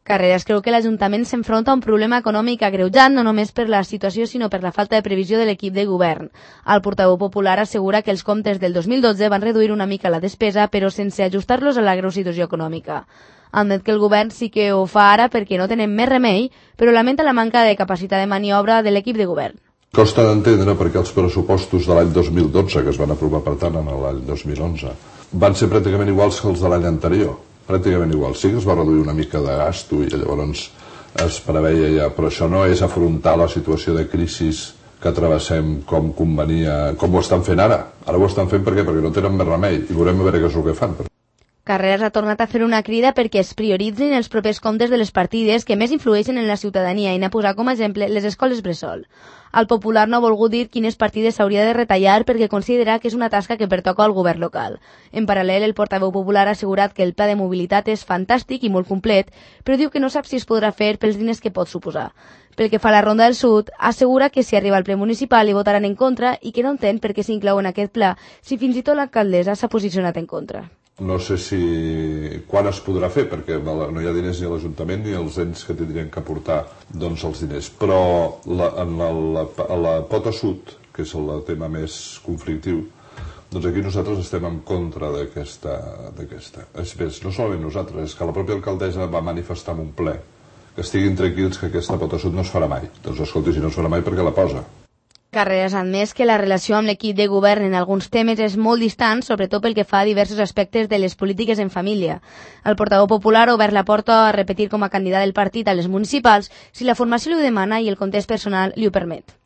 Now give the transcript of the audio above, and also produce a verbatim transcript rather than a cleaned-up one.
Carreras creu que l'Ajuntament s'enfronta a un problema econòmic agreujat no només per la situació sinó per la falta de previsió de l'equip de govern. El portaveu popular assegura que els comptes del dos mil dotze van reduir una mica la despesa però sense ajustar-los a la greu situació econòmica. Admet que el govern sí que ho fa ara perquè no tenen més remei, però lamenta la manca de capacitat de maniobra de l'equip de govern. Costa d'entendre perquè els pressupostos de l'any dos mil dotze, que es van aprovar per tant en l'any dos mil onze, van ser pràcticament iguals que els de l'any anterior. Pràcticament igual. Sí que es va reduir una mica de gasto i llavors es preveia ja, però això no és afrontar la situació de crisi que travessem com convenia, com ho estan fent ara. Ara ho estan fent per què? Perquè no tenen més remei i veurem a veure què és el que fan. Carreras ha tornat a fer una crida perquè es prioritzin els propers comptes de les partides que més influeixen en la ciutadania i n'ha posat com a exemple les escoles bressol. El Popular no ha volgut dir quines partides s'hauria de retallar perquè considera que és una tasca que pertoca al govern local. En paral·lel, el portaveu popular ha assegurat que el pla de mobilitat és fantàstic i molt complet, però diu que no sap si es podrà fer pels diners que pot suposar. Pel que fa a la Ronda del Sud, assegura que si arriba al ple municipal hi votaran en contra i que no entén per què s'inclou en aquest pla si fins i tot l'alcaldessa s'ha posicionat en contra. No sé si quan es podrà fer, perquè no hi ha diners ni a l'Ajuntament ni als ens que tindrien que aportar doncs, els diners. Però la, en la, la, la pota sud, que és el tema més conflictiu, doncs aquí nosaltres estem en contra d'aquesta. És més, no solament nosaltres, és que la pròpia alcaldessa va manifestar en un ple que estiguin tranquils que aquesta pota sud no es farà mai. Doncs escolti, si no es farà mai, per què la posa? Carreras ha admès que la relació amb l'equip de govern en alguns temes és molt distant, sobretot pel que fa a diversos aspectes de les polítiques en família. El portaveu popular ha obert la porta a repetir com a candidat del partit a les municipals si la formació li ho demana i el context personal li ho permet.